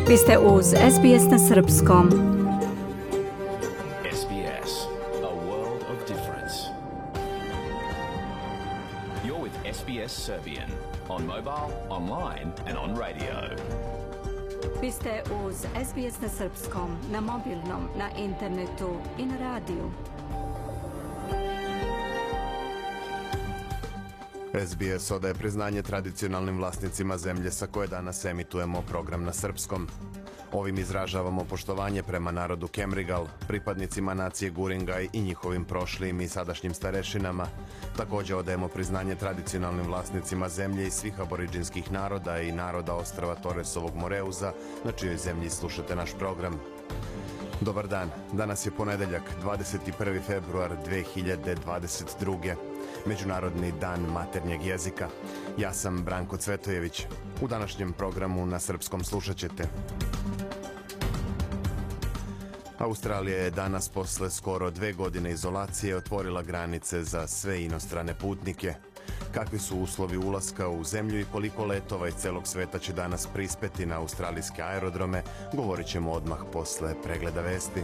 Vi ste uz SBS na srpskom. SBS, a world of difference. You're with SBS Serbian on mobile, online and on radio. Vi ste uz SBS na srpskom, na mobilnom, na internetu i na radiju. SBS odaje priznanje tradicionalnim vlasnicima zemlje sa koje danas emitujemo program na srpskom. Ovim izražavamo poštovanje prema narodu Kemrigal, pripadnicima nacije Guringaj i njihovim prošlim i sadašnjim starešinama. Također odajemo priznanje tradicionalnim vlasnicima zemlje i svih aboriđinskih naroda i naroda ostrva Toresovog Moreuza, na čijoj zemlji slušate naš program. Dobar dan, danas je ponedeljak, 21. februar 2022. Međunarodni dan maternjeg jezika. Ja sam Branko Cvetojević. U današnjem programu na srpskom slušat ćete. Australija je danas posle skoro 2 godine izolacije otvorila granice za sve inostrane putnike. Kakvi su uslovi ulaska u zemlju i koliko letova iz celog sveta će danas prispeti na australijske aerodrome, govorit ćemo odmah posle pregleda vesti.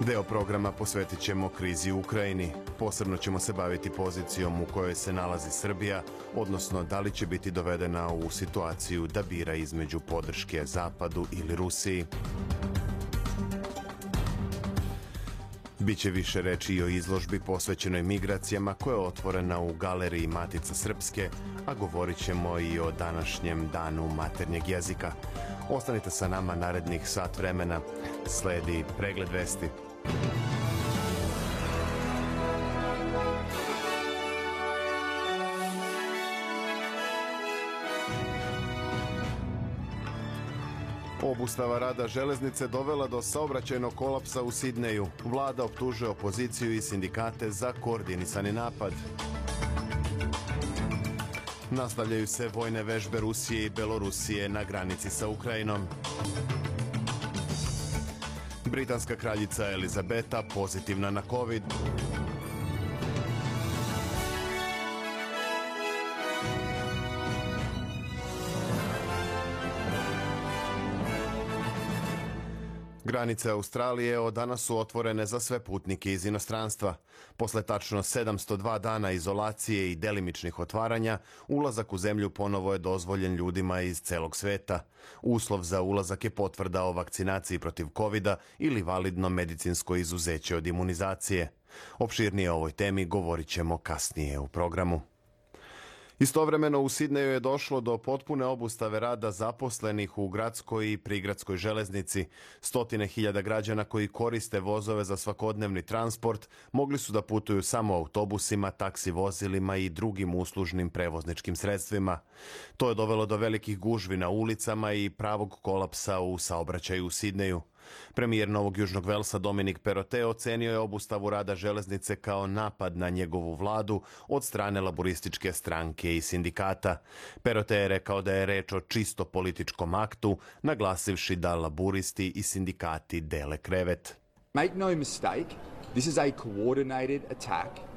Deo programa posvetit ćemo krizi u Ukrajini. Posebno ćemo se baviti pozicijom u kojoj se nalazi Srbija, odnosno da li će biti dovedena u situaciju da bira između podrške Zapadu ili Rusiji. Biće više reči i o izložbi posvećenoj migracijama koja je otvorena u galeriji Matica Srpske, a govorit ćemo i o današnjem danu maternjeg jezika. Ostanite sa nama narednih sat vremena. Sledi pregled vesti. Obustava rada železnice dovela do saobraćajnog kolapsa u Sidneju. Vlada optužuje opoziciju i sindikate za koordinisani napad. Nastavljaju se vojne vežbe Rusije i Belorusije na granici sa Ukrajinom. Britanska kraljica Elizabeta pozitivna na COVID. Granice Australije od danas su otvorene za sve putnike iz inostranstva. Posle tačno 702 dana izolacije i delimičnih otvaranja, ulazak u zemlju ponovo je dozvoljen ljudima iz celog sveta. Uslov za ulazak je potvrda o vakcinaciji protiv COVID-a ili validno medicinsko izuzeće od imunizacije. Opširnije o ovoj temi govorit ćemo kasnije u programu. Istovremeno u Sidneju je došlo do potpune obustave rada zaposlenih u gradskoj i prigradskoj železnici. Stotine hiljada građana koji koriste vozove za svakodnevni transport mogli su da putuju samo autobusima, taksi vozilima i drugim uslužnim prevozničkim sredstvima. To je dovelo do velikih gužvi na ulicama i pravog kolapsa u saobraćaju u Sidneju. Premijer Novog Južnog Velsa Dominic Perrottet ocenio je obustavu rada železnice kao napad na njegovu vladu od strane laborističke stranke i sindikata. Perrottet je rekao da je reč o čisto političkom aktu, naglasivši da laboristi i sindikati dele krevet. Make no mistake, this is a coordinated attack.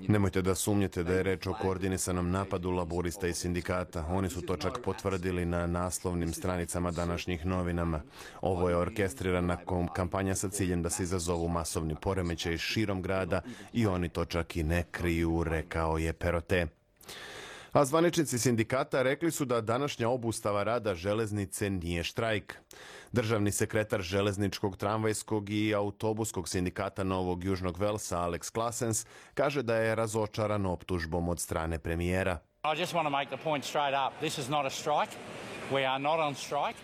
Nemojte da sumnjete da je reč o koordinisanom napadu laborista i sindikata. Oni su to čak potvrdili na naslovnim stranicama današnjih novinama. Ovo je orkestrirana kampanja sa ciljem da se izazovu masovni poremećaj širom grada i oni to čak i ne kriju, rekao je Perrottet. A zvaničnici sindikata rekli su da današnja obustava rada železnice nije štrajk. Državni sekretar železničkog, tramvajskog i autobuskog sindikata Novog Južnog Velsa Alex Classens kaže da je razočaran optužbom od strane premijera. I just want to make the point straight up. This is not a strike. We are not on strike.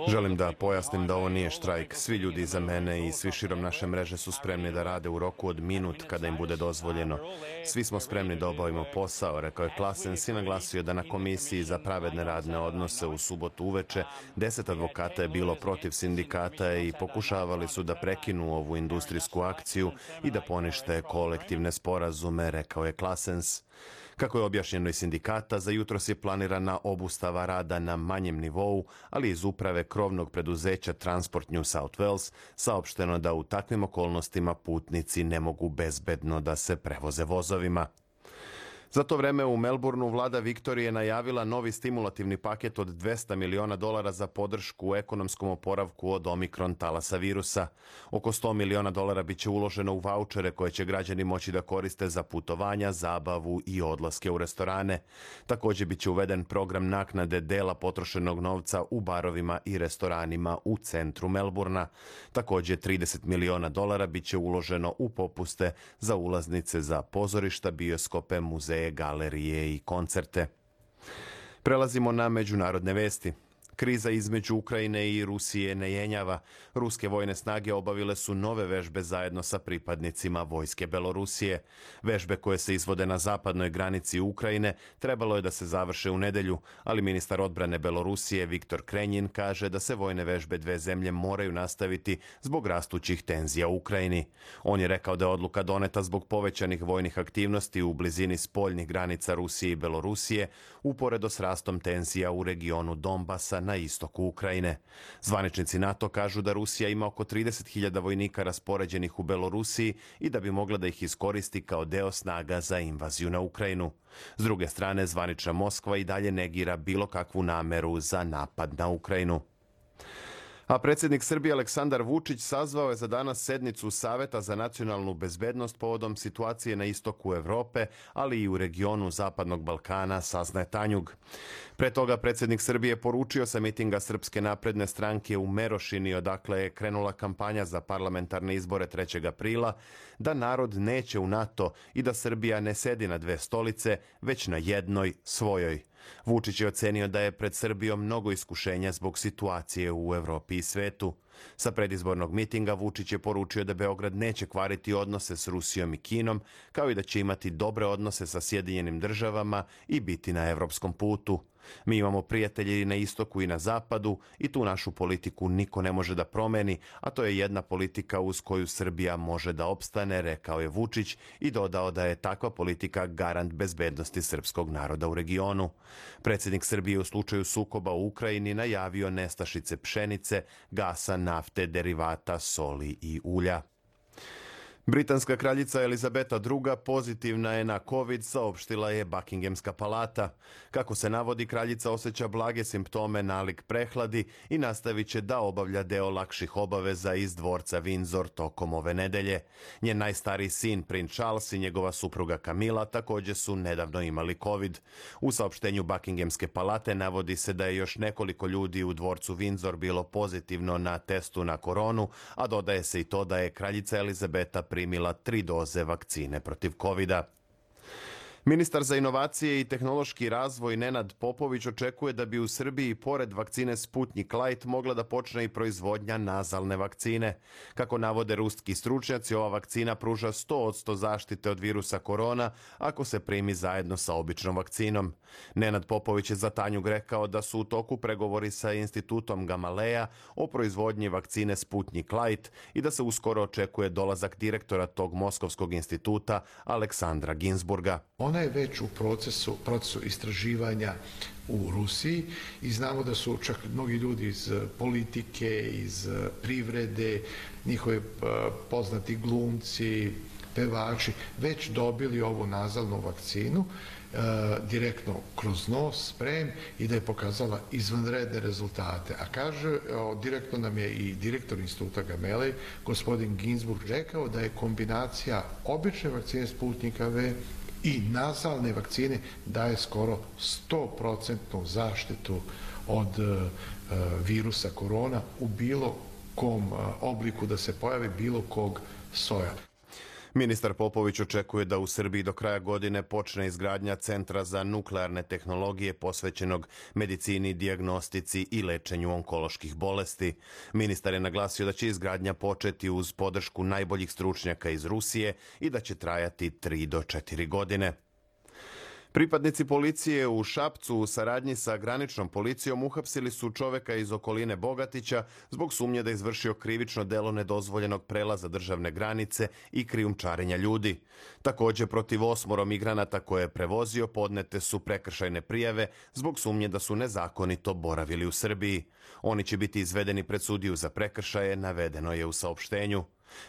Želim da pojasnim da ovo nije štrajk. Svi ljudi iza mene i svi širom naše mreže su spremni da rade u roku od minut kada im bude dozvoljeno. Svi smo spremni da obavimo posao, rekao je Classens i naglasio da na Komisiji za pravedne radne odnose u subotu uveče 10 advokata je bilo protiv sindikata i pokušavali su da prekinu ovu industrijsku akciju i da ponište kolektivne sporazume, rekao je Classens. Kako je objašnjeno iz sindikata, za jutros je planirana obustava rada na manjem nivou, ali iz uprave krovnog preduzeća Transport New South Wales saopšteno da u takvim okolnostima putnici ne mogu bezbedno da se prevoze vozovima. Za to vreme u Melbourneu vlada Viktorije najavila novi stimulativni paket od $200 miliona za podršku ekonomskom oporavku od omikron talasa virusa. Oko $100 miliona biće uloženo u vaučere koje će građani moći da koriste za putovanja, zabavu i odlaske u restorane. Također biće uveden program naknade dela potrošenog novca u barovima i restoranima u centru Melbourna. Također $30 miliona biće uloženo u popuste za ulaznice za pozorišta, bioskope, muzeje, galerije i koncerte. Prelazimo na međunarodne vesti. Kriza između Ukrajine i Rusije ne jenjava. Ruske vojne snage obavile su nove vežbe zajedno sa pripadnicima vojske Belorusije. Vežbe koje se izvode na zapadnoj granici Ukrajine trebalo je da se završe u nedelju, ali ministar odbrane Belorusije Viktor Krenjin kaže da se vojne vežbe dve zemlje moraju nastaviti zbog rastućih tenzija u Ukrajini. On je rekao da je odluka doneta zbog povećanih vojnih aktivnosti u blizini spoljnih granica Rusije i Belorusije, uporedo s rastom tenzija u regionu Donbasa na istoku Ukrajine. Zvaničnici NATO kažu da Rusija ima oko 30.000 vojnika raspoređenih u Belorusiji i da bi mogla da ih iskoristi kao deo snaga za invaziju na Ukrajinu. S druge strane, zvanična Moskva i dalje negira bilo kakvu nameru za napad na Ukrajinu. A predsjednik Srbije Aleksandar Vučić sazvao je za danas sednicu Saveta za nacionalnu bezbednost povodom situacije na istoku Evrope, ali i u regionu Zapadnog Balkana, saznaje Tanjug. Pre toga predsjednik Srbije poručio sa mitinga Srpske napredne stranke u Merošini, odakle je krenula kampanja za parlamentarne izbore 3. aprila, da narod neće u NATO i da Srbija ne sedi na dve stolice, već na jednoj, svojoj. Vučić je ocenio da je pred Srbijom mnogo iskušenja zbog situacije u Evropi i svetu. Sa predizbornog mitinga Vučić je poručio da Beograd neće kvariti odnose s Rusijom i Kinom, kao i da će imati dobre odnose sa Sjedinjenim državama i biti na evropskom putu. Mi imamo prijatelje i na istoku i na zapadu i tu našu politiku niko ne može da promeni, a to je jedna politika uz koju Srbija može da opstane, rekao je Vučić i dodao da je takva politika garant bezbednosti srpskog naroda u regionu. Predsjednik Srbije u slučaju sukoba u Ukrajini najavio nestašice pšenice, gasa, nafte, derivata, soli i ulja. Britanska kraljica Elizabeta II pozitivna je na COVID, saopštila je Buckinghamska palata. Kako se navodi, kraljica osjeća blage simptome nalik prehladi i nastavit će da obavlja deo lakših obaveza iz dvorca Windsor tokom ove nedelje. Njen najstariji sin, princ Charles, i njegova supruga Camilla također su nedavno imali COVID. U saopštenju Buckinghamske palate navodi se da je još nekoliko ljudi u dvorcu Windsor bilo pozitivno na testu na koronu, a dodaje se i to da je kraljica Elizabeta primila 3 doze vakcine protiv COVID-a. Ministar za inovacije i tehnološki razvoj Nenad Popović očekuje da bi u Srbiji pored vakcine Sputnik Light mogla da počne i proizvodnja nazalne vakcine. Kako navode ruski stručnjaci, ova vakcina pruža 100% zaštite od virusa korona ako se primi zajedno sa običnom vakcinom. Nenad Popović je za Tanjug rekao da su u toku pregovori sa institutom Gamaleja o proizvodnji vakcine Sputnik Light i da se uskoro očekuje dolazak direktora tog moskovskog instituta Aleksandra Ginsburga. Ona je već u procesu istraživanja u Rusiji i znamo da su čak mnogi ljudi iz politike, iz privrede, njihovi poznati glumci, pevači, već dobili ovu nazalnu vakcinu direktno kroz nos, sprem, i da je pokazala izvanredne rezultate. A kaže, direktno nam je i direktor instituta Gamelej, gospodin Ginsburg, rekao da je kombinacija obične vakcine Sputnika V i nazalne vakcine daje skoro 100% zaštitu od virusa korona u bilo kom obliku da se pojavi bilo kog soja. Ministar Popović očekuje da u Srbiji do kraja godine počne izgradnja Centra za nuklearne tehnologije posvećenog medicini, dijagnostici i lečenju onkoloških bolesti. Ministar je naglasio da će izgradnja početi uz podršku najboljih stručnjaka iz Rusije i da će trajati 3 do 4 godine. Pripadnici policije u Šapcu u saradnji sa graničnom policijom uhapsili su čoveka iz okoline Bogatića zbog sumnje da je izvršio krivično delo nedozvoljenog prelaza državne granice i krijumčarenja ljudi. Također protiv 8 migranata koje je prevozio podnete su prekršajne prijave zbog sumnje da su nezakonito boravili u Srbiji. Oni će biti izvedeni pred sudiju za prekršaje, navedeno je u saopštenju.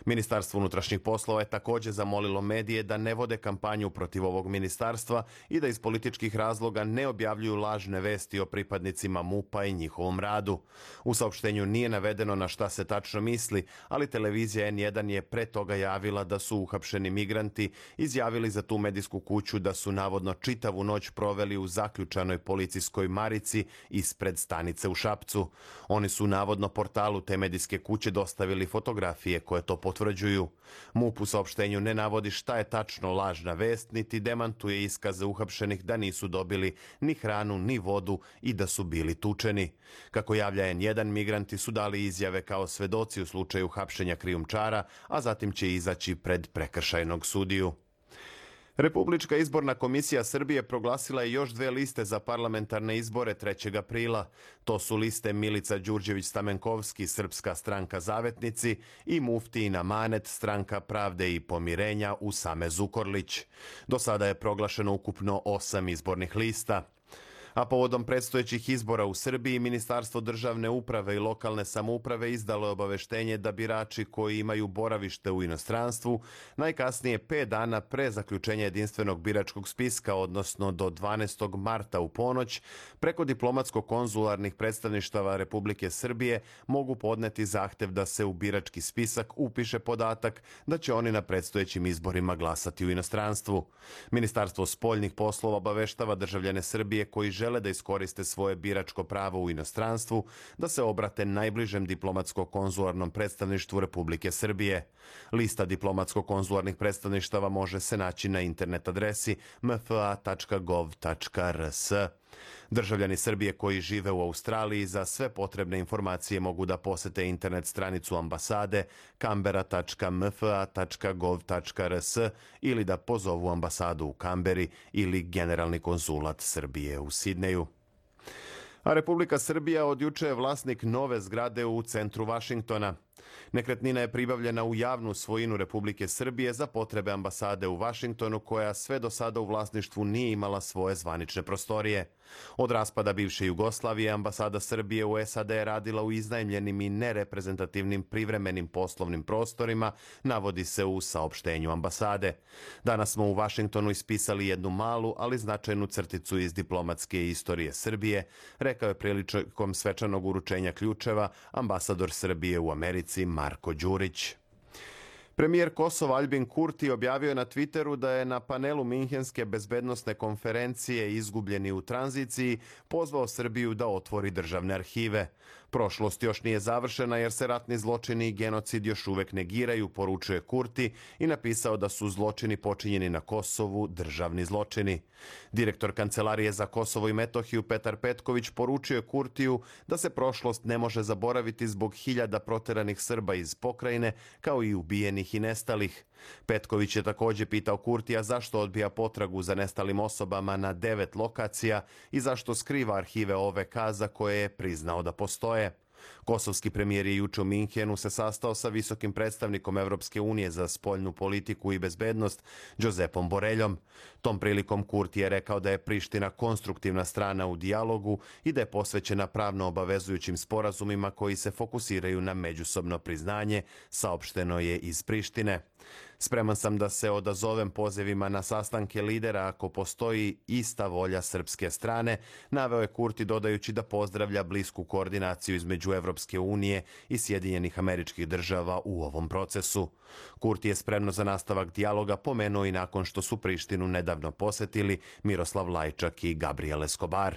Ministarstvo unutrašnjih poslova je također zamolilo medije da ne vode kampanju protiv ovog ministarstva i da iz političkih razloga ne objavljuju lažne vesti o pripadnicima MUP-a i njihovom radu. U saopštenju nije navedeno na šta se tačno misli, ali televizija N1 je pre toga javila da su uhapšeni migranti izjavili za tu medijsku kuću da su navodno čitavu noć proveli u zaključanoj policijskoj marici ispred stanice u Šapcu. Oni su navodno portalu te medijske kuće dostavili fotografije koje to potvrđuju. MUP u saopštenju ne navodi šta je tačno lažna vest, niti demantuje iskaze uhapšenih da nisu dobili ni hranu ni vodu i da su bili tučeni. Kako javlja N1, migranti su dali izjave kao svedoci u slučaju hapšenja krijumčara, a zatim će izaći pred prekršajnog sudiju. Republička izborna komisija Srbije proglasila je još 2 liste za parlamentarne izbore 3. aprila. To su liste Milica Đurđević-Stamenkovski, Srpska stranka Zavetnici, i Muftijin Manet, Stranka pravde i pomirenja Usame Zukorlić. Do sada je proglašeno ukupno 8 izbornih lista. A povodom predstojećih izbora u Srbiji, Ministarstvo državne uprave i lokalne samouprave izdalo je obaveštenje da birači koji imaju boravište u inostranstvu najkasnije 5 dana pre zaključenja jedinstvenog biračkog spiska, odnosno do 12. marta u ponoć, preko diplomatsko-konzularnih predstavništava Republike Srbije mogu podneti zahtev da se u birački spisak upiše podatak da će oni na predstojećim izborima glasati u inostranstvu. Ministarstvo spoljnih poslova obaveštava državljane Srbije koji žele da iskoriste svoje biračko pravo u inostranstvu, da se obrate najbližem diplomatsko-konzularnom predstavništvu Republike Srbije. Lista diplomatsko-konzularnih predstavništava može se naći na internet adresi mfa.gov.rs. Državljani Srbije koji žive u Australiji za sve potrebne informacije mogu da posete internet stranicu ambasade canberra.mfa.gov.rs ili da pozovu ambasadu u Kamberi ili generalni konzulat Srbije u Sidneju. A Republika Srbija od juče je vlasnik nove zgrade u centru Vašingtona. Nekretnina je pribavljena u javnu svojinu Republike Srbije za potrebe ambasade u Vašingtonu, koja sve do sada u vlasništvu nije imala svoje zvanične prostorije. Od raspada bivše Jugoslavije, ambasada Srbije u SAD je radila u iznajmljenim i nereprezentativnim privremenim poslovnim prostorima, navodi se u saopštenju ambasade. Danas smo u Vašingtonu ispisali jednu malu, ali značajnu crticu iz diplomatske istorije Srbije, rekao je prilikom svečanog uručenja ključeva ambasador Srbije u Americi Marko Đurić. Premijer Kosova Aljbin Kurti objavio je na Twitteru da je na panelu Minhenske bezbednosne konferencije Izgubljeni u tranziciji pozvao Srbiju da otvori državne arhive. Prošlost još nije završena jer se ratni zločini i genocid još uvek negiraju, poručuje Kurti i napisao da su zločini počinjeni na Kosovu državni zločini. Direktor Kancelarije za Kosovo i Metohiju Petar Petković poručio je Kurtiju da se prošlost ne može zaboraviti zbog 1000 proteranih Srba iz pokrajine, kao i ubijenih i nestalih. Petković je također pitao Kurtija zašto odbija potragu za nestalim osobama na 9 lokacija i zašto skriva arhive OVK za koje je priznao da postoje. Kosovski premijer je juče u Minhenu se sastao sa visokim predstavnikom Evropske unije za spoljnu politiku i bezbednost Josepom Boreljom. Tom prilikom Kurti je rekao da je Priština konstruktivna strana u dijalogu i da je posvećena pravno obavezujućim sporazumima koji se fokusiraju na međusobno priznanje, saopšteno je iz Prištine. Spreman sam da se odazovem pozivima na sastanke lidera ako postoji ista volja srpske strane, naveo je Kurti dodajući da pozdravlja blisku koordinaciju između Evropske unije i Sjedinjenih Američkih Država u ovom procesu. Kurti je spremno za nastavak dijaloga pomenuo i nakon što su Prištinu nedavno posetili Miroslav Lajčak i Gabriel Escobar.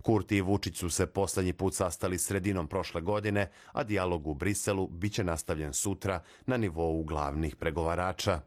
Kurti i Vučić su se poslednji put sastali sredinom prošle godine, a dijalog u Briselu biće nastavljen sutra na nivou glavnih pregovarača.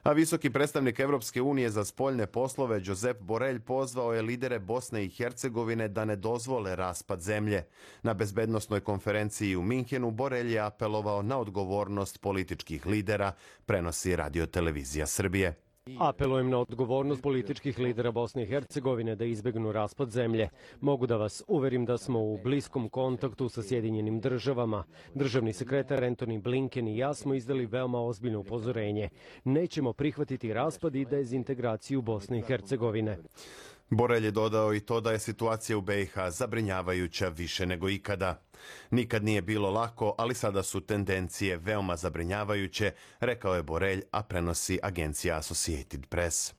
A visoki predstavnik Evropske unije za spoljne poslove Josep Borelj pozvao je lidere Bosne i Hercegovine da ne dozvole raspad zemlje. Na bezbednosnoj konferenciji u Minhenu Borelj je apelovao na odgovornost političkih lidera, prenosi Radio-televizija Srbije. Apelujem na odgovornost političkih lidera Bosne i Hercegovine da izbegnu raspad zemlje. Mogu da vas uverim da smo u bliskom kontaktu sa Sjedinjenim Državama. Državni sekretar Antony Blinken i ja smo izdali veoma ozbiljno upozorenje. Nećemo prihvatiti raspad i dezintegraciju Bosne i Hercegovine. Borelj je dodao i to da je situacija u BiH zabrinjavajuća više nego ikada. Nikad nije bilo lako, ali sada su tendencije veoma zabrinjavajuće, rekao je Borelj, a prenosi agencija Associated Press.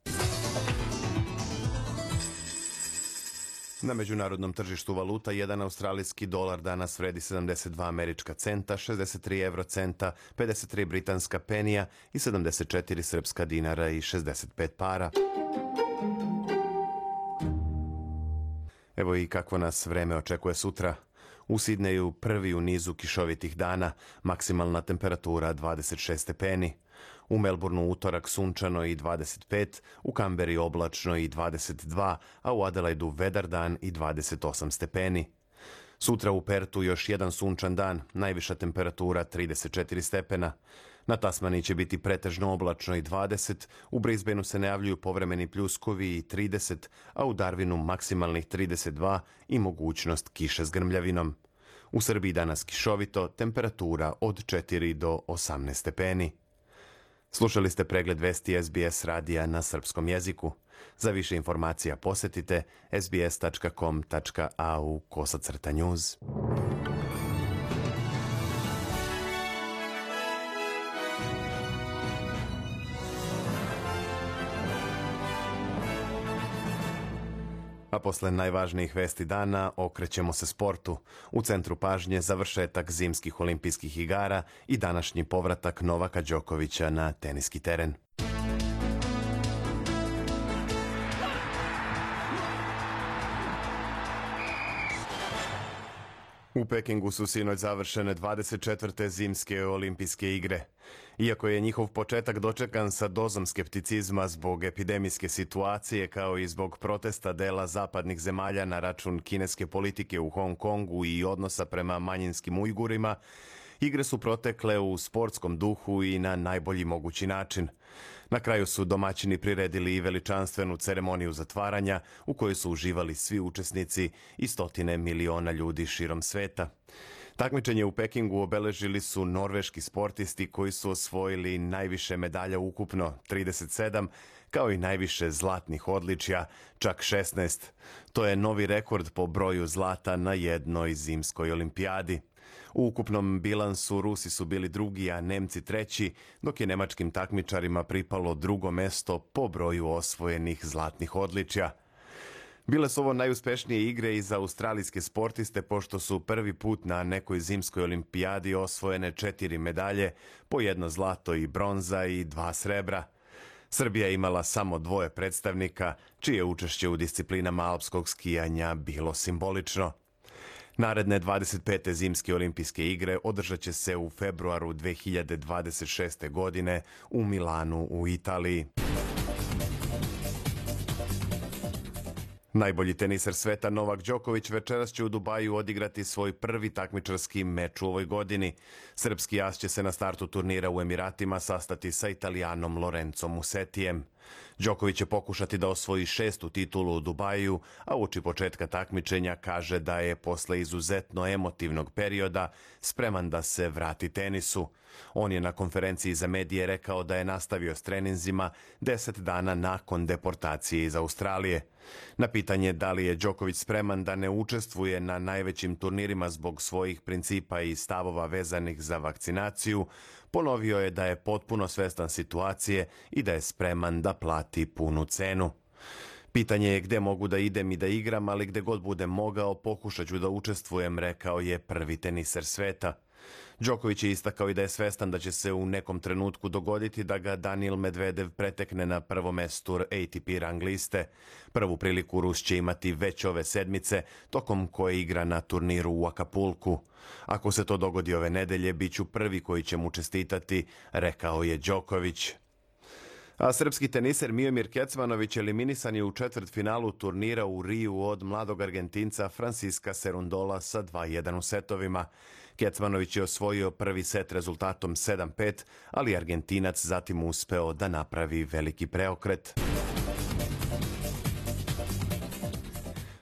Na međunarodnom tržištu valuta jedan australijski dolar danas vredi 72 američka centa, 63 eurocenta, 53 britanska penija i 74 srpska dinara i 65 para. Evo i kakvo nas vreme očekuje sutra. U Sidneju prvi u nizu kišovitih dana, maksimalna temperatura 26 stepeni. U Melbourneu utorak sunčano i 25, u Kamberi oblačno i 22, a u Adelaidu vedar dan i 28 stepeni. Sutra u Pertu još jedan sunčan dan, najviša temperatura 34 stepena. Na Tasmaniji će biti pretežno oblačno i 20, u Brisbaneu se najavljuju povremeni pljuskovi i 30, a u Darwinu maksimalnih 32 i mogućnost kiše s grmljavinom. U Srbiji danas kišovito, temperatura od 4 do 18 stepeni. Slušali ste pregled vesti SBS radija na srpskom jeziku. Za više informacija posjetite sbs.com.au/news. A posle najvažnijih vesti dana okrećemo se sportu. U centru pažnje završetak zimskih olimpijskih igara i današnji povratak Novaka Đokovića na teniski teren. U Pekingu su sinoć završene 24. zimske olimpijske igre. Iako je njihov početak dočekan sa dozom skepticizma zbog epidemijske situacije kao i zbog protesta dela zapadnih zemalja na račun kineske politike u Hong Kongu i odnosa prema manjinskim Ujgurima, igre su protekle u sportskom duhu i na najbolji mogući način. Na kraju su domaćini priredili i veličanstvenu ceremoniju zatvaranja u kojoj su uživali svi učesnici i stotine miliona ljudi širom sveta. Takmičenje u Pekingu obeležili su norveški sportisti koji su osvojili najviše medalja ukupno, 37, kao i najviše zlatnih odličja, čak 16. To je novi rekord po broju zlata na jednoj zimskoj olimpijadi. U ukupnom bilansu Rusi su bili drugi, a Nemci treći, dok je nemačkim takmičarima pripalo drugo mesto po broju osvojenih zlatnih odličja. Bile su ovo najuspešnije igre i za australijske sportiste, pošto su prvi put na nekoj zimskoj olimpijadi osvojene 4 medalje, po 1 zlato i bronza i 2 srebra. Srbija je imala samo 2 predstavnika, čije učešće u disciplinama alpskog skijanja bilo simbolično. Naredne 25. zimske olimpijske igre održat će se u februaru 2026. godine u Milanu u Italiji. Najbolji teniser sveta Novak Đoković večeras će u Dubaju odigrati svoj prvi takmičarski meč u ovoj godini. Srpski as će se na startu turnira u Emiratima sastati sa Italijanom Lorenzom Musetijem. Đoković će pokušati da osvoji 6. titulu u Dubaju, a uoči početka takmičenja kaže da je posle izuzetno emotivnog perioda spreman da se vrati tenisu. On je na konferenciji za medije rekao da je nastavio s treninzima 10 dana nakon deportacije iz Australije. Na pitanje da li je Đoković spreman da ne učestvuje na najvećim turnirima zbog svojih principa i stavova vezanih za vakcinaciju, ponovio je da je potpuno svestan situacije i da je spreman da plati punu cenu. Pitanje je gde mogu da idem i da igram, ali gde god budem mogao pokušat ću da učestvujem, rekao je prvi teniser sveta. Đoković je istakao i da je svestan da će se u nekom trenutku dogoditi da ga Danil Medvedev pretekne na prvo mesto ATP rang liste. Prvu priliku Rus će imati već ove sedmice, tokom koje igra na turniru u Acapulcu. Ako se to dogodi ove nedelje, bit ću prvi koji će mu čestitati, rekao je Đoković. A srpski teniser Miomir Kecmanović eliminisan je u četvrtfinalu turnira u Riju od mladog Argentinca Francisca Cerundola sa 2:1 u setovima. Kecmanović je osvojio prvi set rezultatom 7:5, ali Argentinac zatim uspeo da napravi veliki preokret.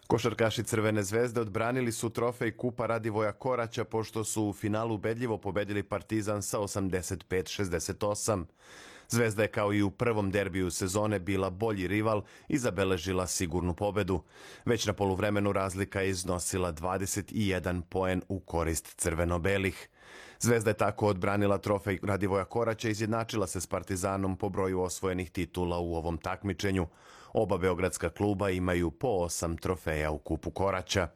Košarkaši Crvene zvezde odbranili su trofej Kupa Radivoja Koraća pošto su u finalu ubedljivo pobedili Partizan sa 85-68. Zvezda je kao i u prvom derbiju sezone bila bolji rival i zabeležila sigurnu pobedu. Već na poluvremenu razlika je iznosila 21 poen u korist crveno-belih. Zvezda je tako odbranila trofej Radivoja Koraća i izjednačila se s Partizanom po broju osvojenih titula u ovom takmičenju. Oba beogradska kluba imaju po 8 trofeja u kupu Koraća.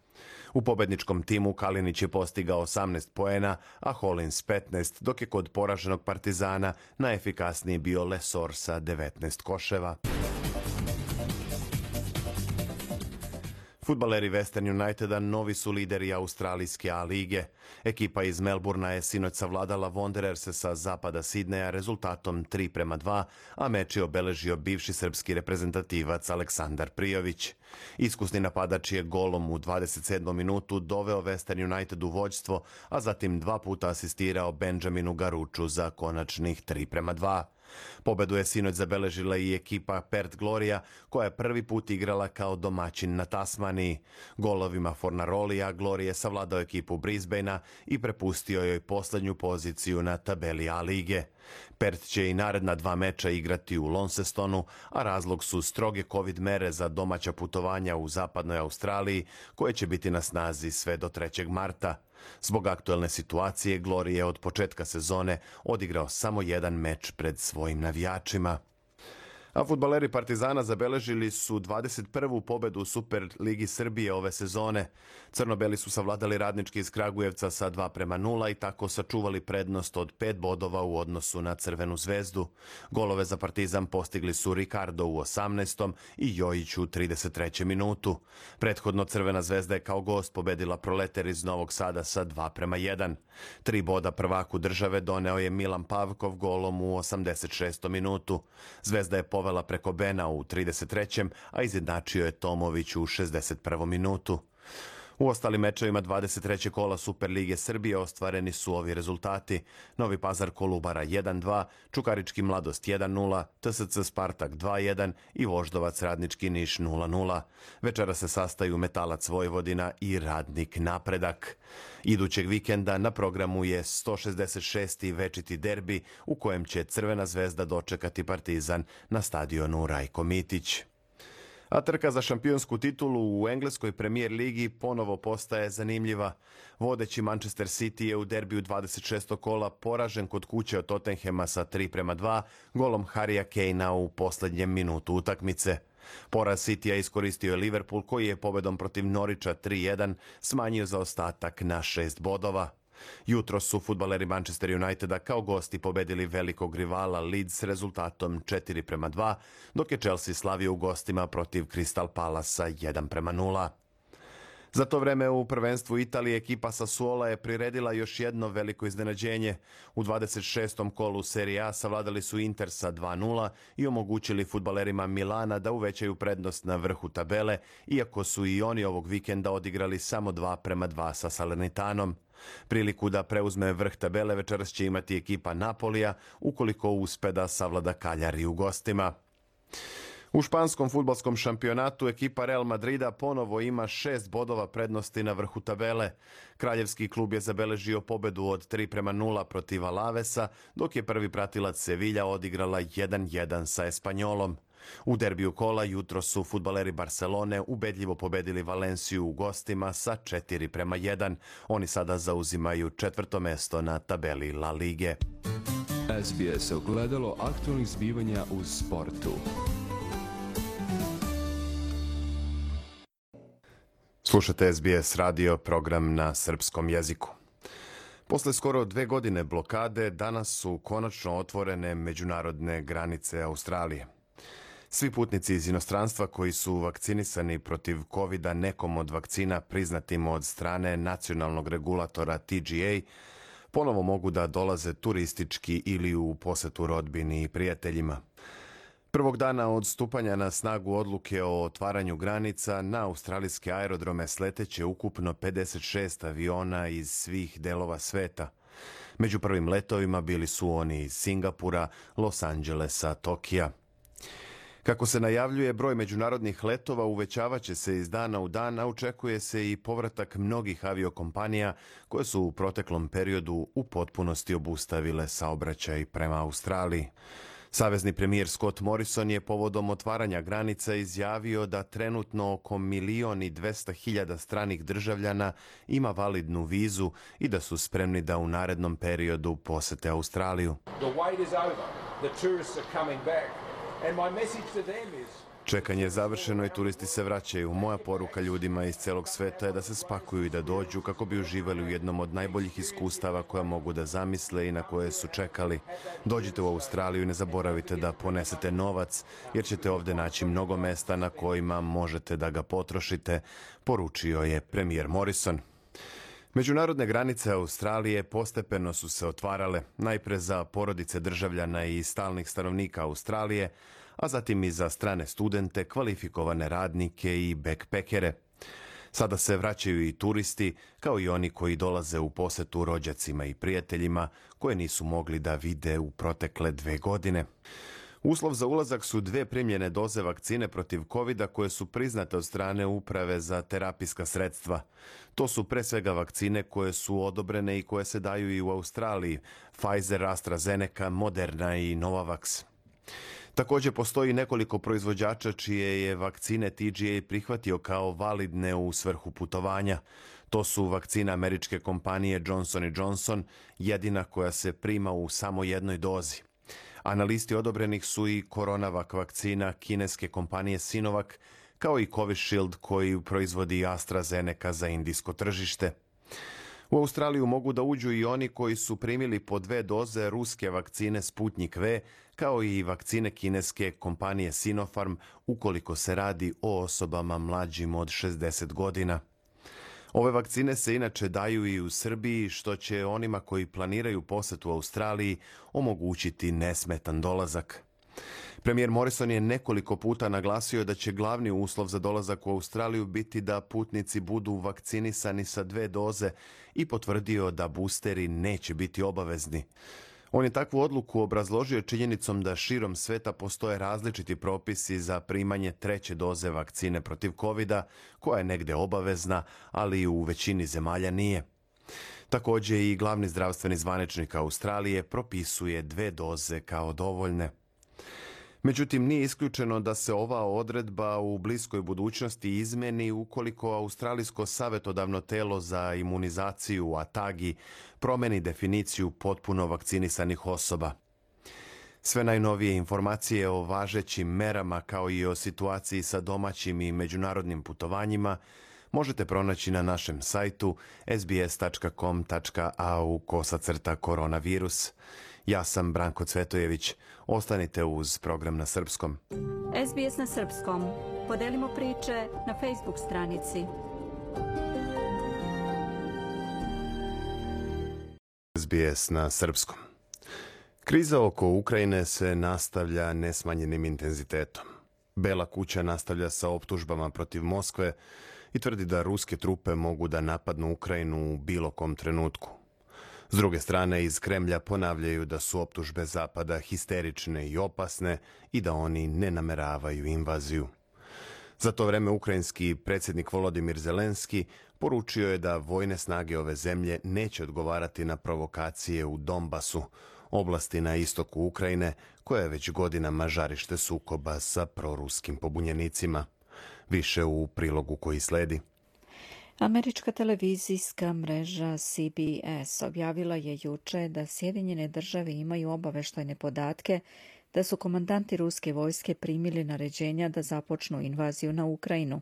U pobedničkom timu Kalinić je postigao 18 poena, a Holins 15, dok je kod poraženog Partizana najefikasniji bio Lesor sa 19 koševa. Fudbaleri Western Uniteda novi su lideri australijske A lige. Ekipa iz Melburna je sinoć savladala Wandererse sa zapada Sidneja rezultatom 3:2, a meč je obeležio bivši srpski reprezentativac Aleksandar Prijović. Iskusni napadač je golom u 27. minutu doveo Western United u vođstvo, a zatim 2 puta asistirao Benjaminu Garuču za konačnih 3:2. Pobedu je sinoć zabeležila i ekipa Perth Gloria, koja je prvi put igrala kao domaćin na Tasmaniji. Golovima Fornarolija Gloria je savladao ekipu Brisbanea i prepustio joj poslednju poziciju na tabeli A lige. Perth će i naredna 2 meča igrati u Launcestonu, a razlog su stroge COVID mere za domaća putovanja u zapadnoj Australiji, koje će biti na snazi sve do 3. marta. Zbog aktuelne situacije, Glory je od početka sezone odigrao samo 1 meč pred svojim navijačima. A fudbaleri Partizana zabeležili su 21. pobedu u Superligi Srbije ove sezone. Crno-beli su savladali Radnički iz Kragujevca sa 2:0 i tako sačuvali prednost od 5 bodova u odnosu na Crvenu zvezdu. Golove za Partizan postigli su Ricardo u 18. i Jojić u 33. minutu. Prethodno Crvena zvezda je kao gost pobedila Proleter iz Novog Sada sa 2:1. 3 boda prvaku države doneo je Milan Pavkov golom u 86. minutu. Zvezda je povela preko Bena u 33. a izjednačio je Tomović u 61. minutu. U ostalim mečevima 23. kola Superlige Srbije ostvareni su ovi rezultati: Novi Pazar Kolubara 1:2, Čukarički Mladost 1:0, TSC Spartak 2:1 i Voždovac Radnički Niš 0:0. Večera se sastaju Metalac Vojvodina i Radnik Napredak. Idućeg vikenda na programu je 166. večiti derbi u kojem će Crvena zvezda dočekati Partizan na stadionu Rajko Mitić. A trka za šampionsku titulu u engleskoj premijer ligi ponovo postaje zanimljiva. Vodeći Manchester City je u derbiju 26. kola poražen kod kuće od Tottenhema sa 3:2 golom Harrya Kanea u posljednjem minutu utakmice. Poraz Citya iskoristio je Liverpool, koji je pobedom protiv Norwicha 3:1 smanjio zaostatak na 6 bodova. Jutro su fudbaleri Manchester Uniteda kao gosti pobedili velikog rivala Leeds s rezultatom 4:2, dok je Chelsea slavio u gostima protiv Crystal Palasa 1:0. Za to vreme u prvenstvu Italije ekipa Sassuola je priredila još jedno veliko iznenađenje. U 26. kolu Serie A savladali su Inter sa 2:0 i omogućili fudbalerima Milana da uvećaju prednost na vrhu tabele, iako su i oni ovog vikenda odigrali samo 2:2 sa Salernitanom. Priliku da preuzme vrh tabele večeras će imati ekipa Napolija, ukoliko uspe da savlada Cagliari u gostima. U španskom fudbalskom šampionatu ekipa Real Madrida ponovo ima 6 bodova prednosti na vrhu tabele. Kraljevski klub je zabeležio pobedu od 3:0 protiv Alavesa, dok je prvi pratilac Sevilla odigrala 1:1 sa Espanjolom. U derbiju kola jutro su fudbaleri Barcelone ubedljivo pobedili Valenciju u gostima sa 4:1. Oni sada zauzimaju 4. mesto na tabeli La Lige. SBS ogledalo aktualnih zbivanja u sportu. Slušate SBS radio, program na srpskom jeziku. Posle skoro 2 godine blokade, danas su konačno otvorene međunarodne granice Australije. Svi putnici iz inostranstva koji su vakcinisani protiv COVID-a nekom od vakcina priznatim od strane nacionalnog regulatora TGA ponovo mogu da dolaze turistički ili u posetu rodbini i prijateljima. Prvog dana od stupanja na snagu odluke o otvaranju granica, na australijske aerodrome sleteće ukupno 56 aviona iz svih delova sveta. Među prvim letovima bili su oni iz Singapura, Los Angelesa, Tokija. Kako se najavljuje, broj međunarodnih letova uvećavaće se iz dana u dan, a očekuje se i povratak mnogih aviokompanija koje su u proteklom periodu u potpunosti obustavile saobraćaj prema Australiji. Savezni premijer Scott Morrison je povodom otvaranja granica izjavio da trenutno oko 1.200.000 stranih državljana ima validnu vizu i da su spremni da u narednom periodu posete Australiju. Čekanje je završeno i turisti se vraćaju. Moja poruka ljudima iz celog sveta je da se spakuju i da dođu kako bi uživali u jednom od najboljih iskustava koja mogu da zamisle i na koje su čekali. Dođite u Australiju i ne zaboravite da ponesete novac, jer ćete ovdje naći mnogo mesta na kojima možete da ga potrošite, poručio je premijer Morrison. Međunarodne granice Australije postepeno su se otvarale, najpre za porodice državljana i stalnih stanovnika Australije, a zatim i za strane studente, kvalifikovane radnike i backpackere. Sada se vraćaju i turisti, kao i oni koji dolaze u posetu rođacima i prijateljima koje nisu mogli da vide u protekle 2 godine. Uslov za ulazak su 2 primljene doze vakcine protiv COVID-a koje su priznate od strane Uprave za terapijska sredstva. To su pre svega vakcine koje su odobrene i koje se daju i u Australiji, Pfizer, AstraZeneca, Moderna i Novavax. Također postoji nekoliko proizvođača čije je vakcine TGA prihvatio kao validne u svrhu putovanja. To su vakcina američke kompanije Johnson & Johnson, jedina koja se prima u samo jednoj dozi. A na listi odobrenih su i Coronavac vakcina kineske kompanije Sinovac, kao i Covishield koji proizvodi AstraZeneca za indijsko tržište. U Australiju mogu da uđu i oni koji su primili po 2 doze ruske vakcine Sputnik V, kao i vakcine kineske kompanije Sinopharm, ukoliko se radi o osobama mlađim od 60 godina. Ove vakcine se inače daju i u Srbiji, što će onima koji planiraju posetu Australiji omogućiti nesmetan dolazak. Premijer Morrison je nekoliko puta naglasio da će glavni uslov za dolazak u Australiju biti da putnici budu vakcinisani sa 2 doze i potvrdio da boosteri neće biti obavezni. On je takvu odluku obrazložio činjenicom da širom sveta postoje različiti propisi za primanje 3. doze vakcine protiv COVID-a, koja je negde obavezna, ali u većini zemalja nije. Također i glavni zdravstveni zvaničnik Australije propisuje 2 doze kao dovoljne. Međutim, nije isključeno da se ova odredba u bliskoj budućnosti izmeni ukoliko Australijsko savjetodavno telo za imunizaciju ATAGI promeni definiciju potpuno vakcinisanih osoba. Sve najnovije informacije o važećim merama kao i o situaciji sa domaćim i međunarodnim putovanjima možete pronaći na našem sajtu sbs.com.au/koronavirus. Ja sam Branko Cvetojević. Ostanite uz program na srpskom. SBS na srpskom. Podelimo priče na Facebook stranici. SBS na srpskom. Kriza oko Ukrajine se nastavlja nesmanjenim intenzitetom. Bela kuća nastavlja sa optužbama protiv Moskve i tvrdi da ruske trupe mogu da napadnu Ukrajinu u bilo kom trenutku. S druge strane, iz Kremlja ponavljaju da su optužbe Zapada histerične i opasne i da oni ne nameravaju invaziju. Za to vreme ukrajinski predsjednik Volodimir Zelenski poručio je da vojne snage ove zemlje neće odgovarati na provokacije u Donbasu, oblasti na istoku Ukrajine, koja je već godinama žarište sukoba sa proruskim pobunjenicima. Više u prilogu koji sledi. Američka televizijska mreža CBS objavila je juče da Sjedinjene države imaju obaveštajne podatke da su komandanti ruske vojske primili naređenja da započnu invaziju na Ukrajinu.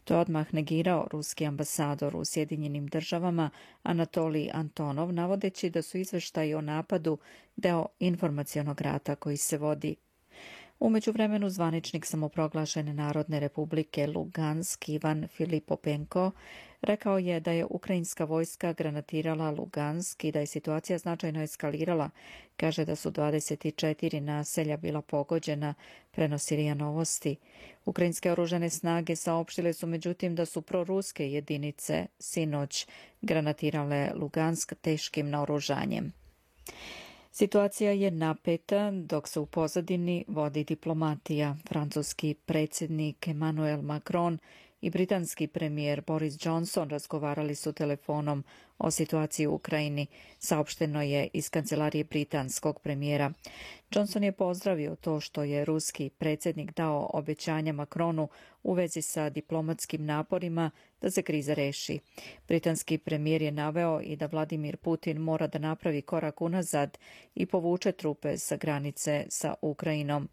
To je odmah negirao ruski ambasador u Sjedinjenim državama Anatolij Antonov, navodeći da su izveštaji o napadu deo informacionog rata koji se vodi. U međuvremenu zvaničnik samoproglašene Narodne republike Lugansk Ivan Filipopenko rekao je da je ukrajinska vojska granatirala Lugansk i da je situacija značajno eskalirala. Kaže da su 24 naselja bila pogođena, prenosi RIA Novosti. Ukrajinske oružane snage saopštile su međutim da su proruske jedinice sinoć granatirale Lugansk teškim naoružanjem. Situacija je napeta dok se u pozadini vodi diplomatija. Francuski predsjednik Emmanuel Macron i britanski premijer Boris Johnson razgovarali su telefonom o situaciji u Ukrajini, saopšteno je iz kancelarije britanskog premijera. Johnson je pozdravio to što je ruski predsjednik dao obećanja Macronu u vezi sa diplomatskim naporima da se kriza reši. Britanski premijer je naveo i da Vladimir Putin mora da napravi korak unazad i povuče trupe sa granice sa Ukrajinom.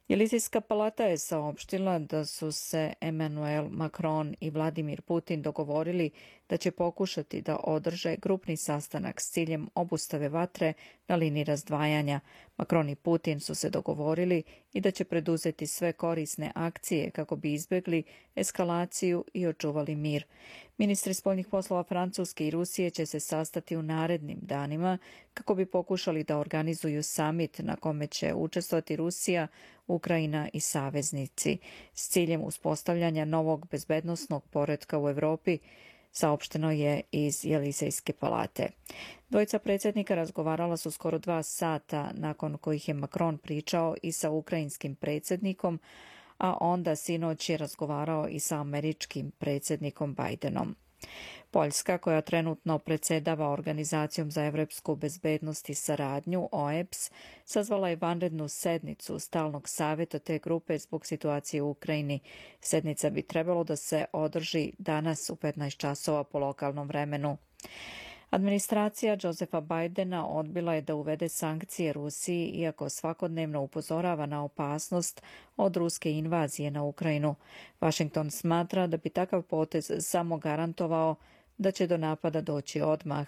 Elizejska palata je saopštila da su se Emmanuel Macron i Vladimir Putin dogovorili da će pokušati da održe grupni sastanak s ciljem obustave vatre na liniji razdvajanja. Macron i Putin su se dogovorili i da će preduzeti sve korisne akcije kako bi izbjegli eskalaciju i očuvali mir. Ministri spoljnih poslova Francuske i Rusije će se sastati u narednim danima kako bi pokušali da organizuju samit na kome će učestvovati Rusija, Ukrajina i saveznici s ciljem uspostavljanja novog bezbednosnog poretka u Europi, saopšteno je iz Elizejske palate. Dvojica predsjednika razgovarala su skoro 2 sata, nakon kojih je Macron pričao i sa ukrajinskim predsjednikom, a onda sinoć je razgovarao i sa američkim predsjednikom Bidenom. Poljska, koja trenutno predsjedava Organizacijom za evropsku bezbednost i saradnju, OEBS, sazvala je vanrednu sednicu stalnog savjeta te grupe zbog situacije u Ukrajini. Sednica bi trebalo da se održi danas u 15 časova po lokalnom vremenu. Administracija Josepha Bidena odbila je da uvede sankcije Rusiji, iako svakodnevno upozorava na opasnost od ruske invazije na Ukrajinu. Washington smatra da bi takav potez samo garantovao da će do napada doći odmah.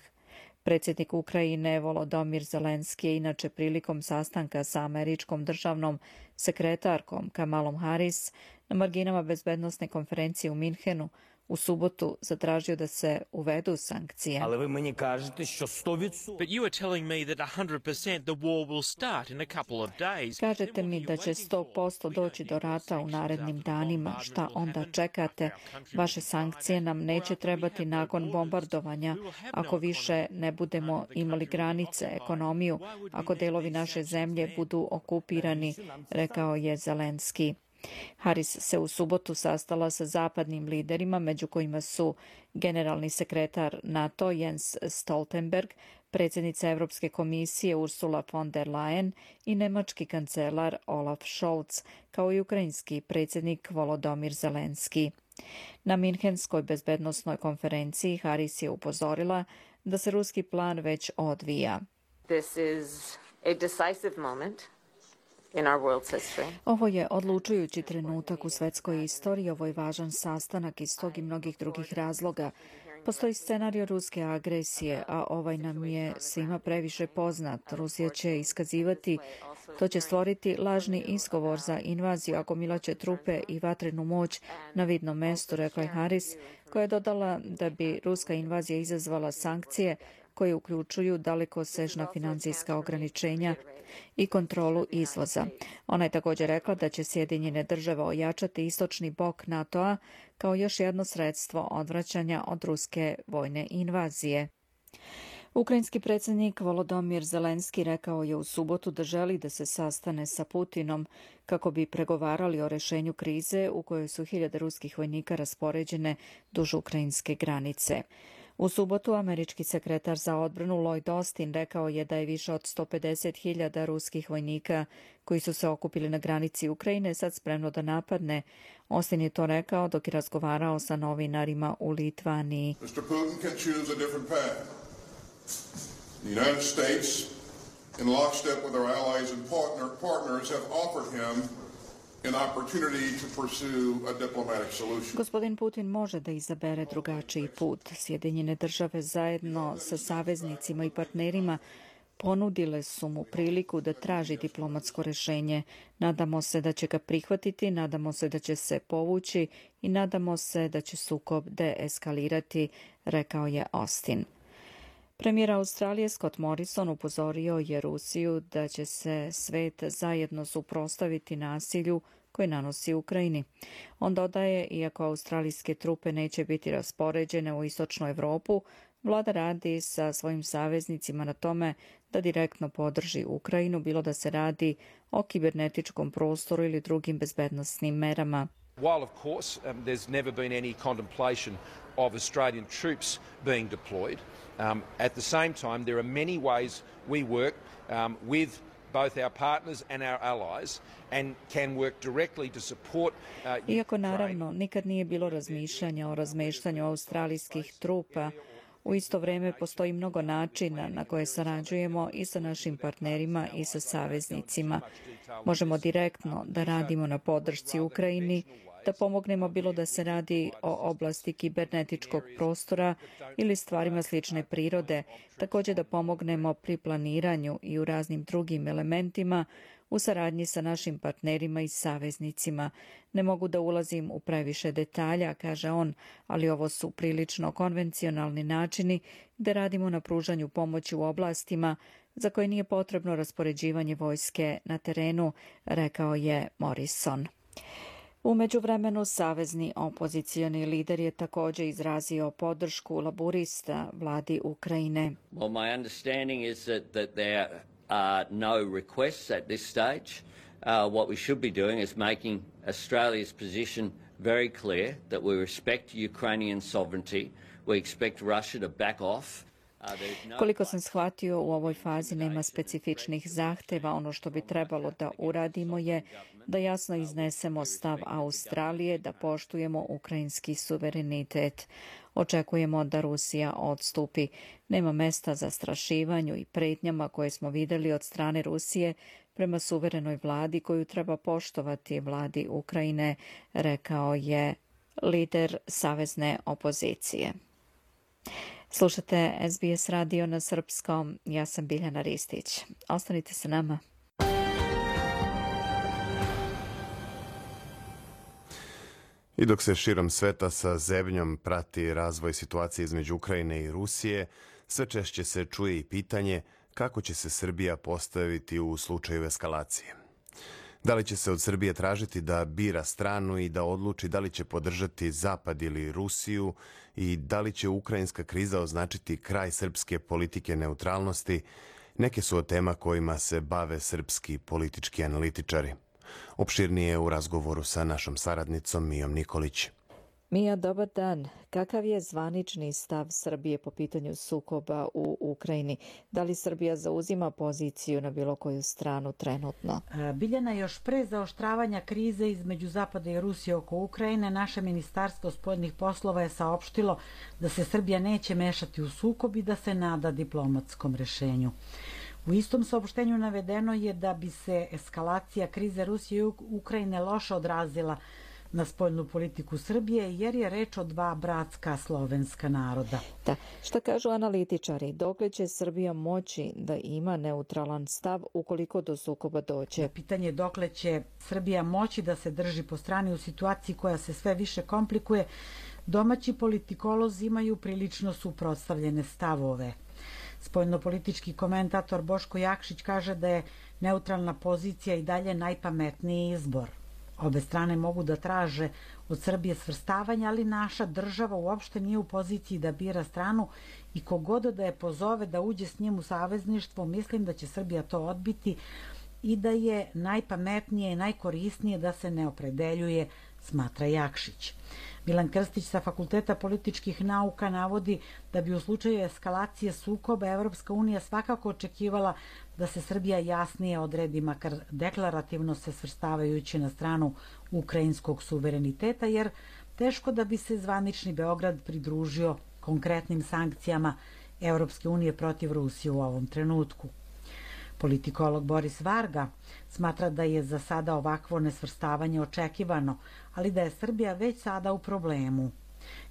Predsjednik Ukrajine Volodymyr Zelenski je inače prilikom sastanka sa američkom državnom sekretarkom Kamalom Harris na marginama bezbednosne konferencije u Minhenu u subotu zatražio da se uvedu sankcije. Ali vi meni kažete što 100%. But you are telling me that 100% the war will start in a couple of days. Kažete mi da će 100% doći do rata u narednim danima. Šta onda čekate? Vaše sankcije nam neće trebati nakon bombardovanja, ako više ne budemo imali granice, ekonomiju, ako delovi naše zemlje budu okupirani, rekao je Zelenski. Harris se u subotu sastala sa zapadnim liderima, među kojima su generalni sekretar NATO Jens Stoltenberg, predsjednica Europske komisije Ursula von der Leyen i nemački kancelar Olaf Scholz, kao i ukrajinski predsjednik Volodymyr Zelenski. Na Minhenskoj bezbednosnoj konferenciji Harris je upozorila da se ruski plan već odvija. This is a decisive moment. Ovo je odlučujući trenutak u svetskoj istoriji, ovo je važan sastanak iz tog i mnogih drugih razloga. Postoji scenario ruske agresije, a ovaj nam je svima previše poznat. Rusija će iskazivati, to će stvoriti lažni izgovor za invaziju, ako milaće trupe i vatrenu moć na vidnom mestu, rekla je Harris, koja je dodala da bi ruska invazija izazvala sankcije koje uključuju dalekosežna financijska ograničenja i kontrolu izvoza. Ona je također rekla da će Sjedinjene države ojačati istočni bok NATO-a kao još jedno sredstvo odvraćanja od ruske vojne invazije. Ukrajinski predsjednik Volodymyr Zelenski rekao je u subotu da želi da se sastane sa Putinom kako bi pregovarali o rješenju krize u kojoj su 1000 ruskih vojnika raspoređene duž ukrajinske granice. U subotu američki sekretar za odbranu Lloyd Austin rekao je da je više od 150.000 ruskih vojnika koji su se okupili na granici Ukrajine sad spremno da napadne. Austin je to rekao dok je razgovarao sa novinarima u Litvaniji. Mr. Putin can choose a different path. The United States, in lockstep with our allies and partners, have offered him an opportunity to pursue a diplomatic solution. Gospodin Putin može da izabere drugačiji put. Sjedinjene države zajedno sa saveznicima i partnerima ponudile su mu priliku da traži diplomatsko rješenje. Nadamo se da će ga prihvatiti, nadamo se da će se povući i nadamo se da će sukob deeskalirati, rekao je Austin. Premijer Australije Scott Morrison upozorio je Rusiju da će se svet zajedno suprotstaviti nasilju koje nanosi Ukrajini. On dodaje, iako australijske trupe neće biti raspoređene u istočnu Europu, vlada radi sa svojim saveznicima na tome da direktno podrži Ukrajinu, bilo da se radi o kibernetičkom prostoru ili drugim bezbednosnim merama. While of course there's never been any contemplation of Australian troops being deployed, at the same time there are many ways we work with both our partners and our allies and can work directly to support Iako naravno nikad nije bilo razmišljanja o razmeštanju australijskih trupa, u isto vrijeme postoji mnogo načina na koje sarađujemo i sa našim partnerima i sa saveznicima. Možemo direktno da radimo na podršci Ukrajini, da pomognemo bilo da se radi o oblasti kibernetičkog prostora ili stvarima slične prirode, također da pomognemo pri planiranju i u raznim drugim elementima u saradnji sa našim partnerima i saveznicima. Ne mogu da ulazim u previše detalja, kaže on, ali ovo su prilično konvencionalni načini gde radimo na pružanju pomoći u oblastima za koje nije potrebno raspoređivanje vojske na terenu, rekao je Morrison. U međuvremenu savezni opozicioni lider je također izrazio podršku laburista vladi Ukrajine. Well, my understanding is that there are no requests at this stage. What we should be doing is making Australia's position very clear that we respect Ukrainian sovereignty. We expect Russia to back off. Koliko sam shvatio, u ovoj fazi nema specifičnih zahteva. Ono što bi trebalo da uradimo je da jasno iznesemo stav Australije, da poštujemo ukrajinski suverenitet. Očekujemo da Rusija odstupi. Nema mesta za zastrašivanju i pretnjama koje smo vidjeli od strane Rusije prema suverenoj vladi koju treba poštovati vladi Ukrajine, rekao je lider savezne opozicije. Slušate SBS radio na srpskom. Ja sam Biljana Ristić. Ostanite sa nama. I dok se širom sveta sa zebnjom prati razvoj situacije između Ukrajine i Rusije, sve češće se čuje i pitanje kako će se Srbija postaviti u slučaju eskalacije. Da li će se od Srbije tražiti da bira stranu i da odluči da li će podržati Zapad ili Rusiju i da li će ukrajinska kriza označiti kraj srpske politike neutralnosti, neke su od tema kojima se bave srpski politički analitičari. Opširnije u razgovoru sa našom saradnicom Mijom Nikolić. Mija, dobar dan. Kakav je zvanični stav Srbije po pitanju sukoba u Ukrajini? Da li Srbija zauzima poziciju na bilo koju stranu trenutno? Biljana, još pre zaoštravanja krize između Zapada i Rusije oko Ukrajine, naše Ministarstvo spoljnih poslova je saopštilo da se Srbija neće mešati u sukob i da se nada diplomatskom rešenju. U istom saopštenju navedeno je da bi se eskalacija krize Rusije i Ukrajine loše odrazila na spoljnu politiku Srbije, jer je reč o dva bratska slovenska naroda. Da. Šta kažu analitičari? Dokle će Srbija moći da ima neutralan stav ukoliko do sukoba dođe? Pitanje je dokle će Srbija moći da se drži po strani u situaciji koja se sve više komplikuje. Domaći politikolozi imaju prilično suprotstavljene stavove. Spoljnopolitički komentator Boško Jakšić kaže da je neutralna pozicija i dalje najpametniji izbor. Obe strane mogu da traže od Srbije svrstavanje, ali naša država uopšte nije u poziciji da bira stranu i kogoda da je pozove da uđe s njim u savezništvo, mislim da će Srbija to odbiti i da je najpametnije i najkorisnije da se ne opredeljuje, smatra Jakšić. Milan Krstić sa Fakulteta političkih nauka navodi da bi u slučaju eskalacije sukoba Evropska unija svakako očekivala da se Srbija jasnije odredi, makar deklarativno se svrstavajući na stranu ukrajinskog suvereniteta, jer teško da bi se zvanični Beograd pridružio konkretnim sankcijama Evropske unije protiv Rusije u ovom trenutku. Politikolog Boris Varga smatra da je za sada ovakvo nesvrstavanje očekivano, ali da je Srbija već sada u problemu.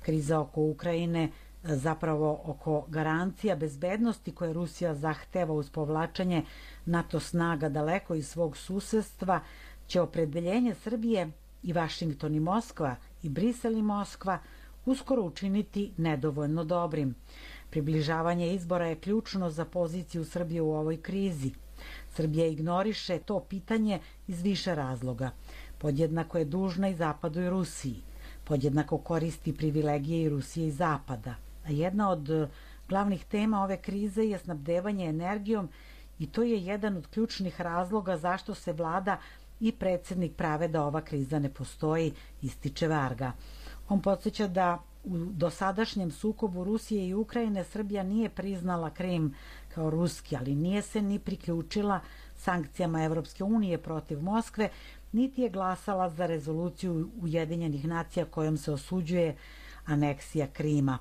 Kriza oko Ukrajine, zapravo oko garancija bezbednosti koje Rusija zahteva uz povlačenje NATO snaga daleko iz svog susedstva, će opredeljenje Srbije i Vašington i Moskva i Brisel i Moskva uskoro učiniti nedovoljno dobrim. Približavanje izbora je ključno za poziciju Srbije u ovoj krizi. Srbija ignoriše to pitanje iz više razloga. Podjednako je dužna i Zapadu i Rusiji. Podjednako koristi privilegije i Rusije i Zapada. A jedna od glavnih tema ove krize je snabdevanje energijom i to je jedan od ključnih razloga zašto se vlada i predsjednik prave da ova kriza ne postoji, ističe Varga. On podsjeća da u dosadašnjem sukobu Rusije i Ukrajine Srbija nije priznala Krim kao ruski, ali nije se ni priključila sankcijama Evropske unije protiv Moskve, niti je glasala za rezoluciju Ujedinjenih nacija kojom se osuđuje aneksija Krima.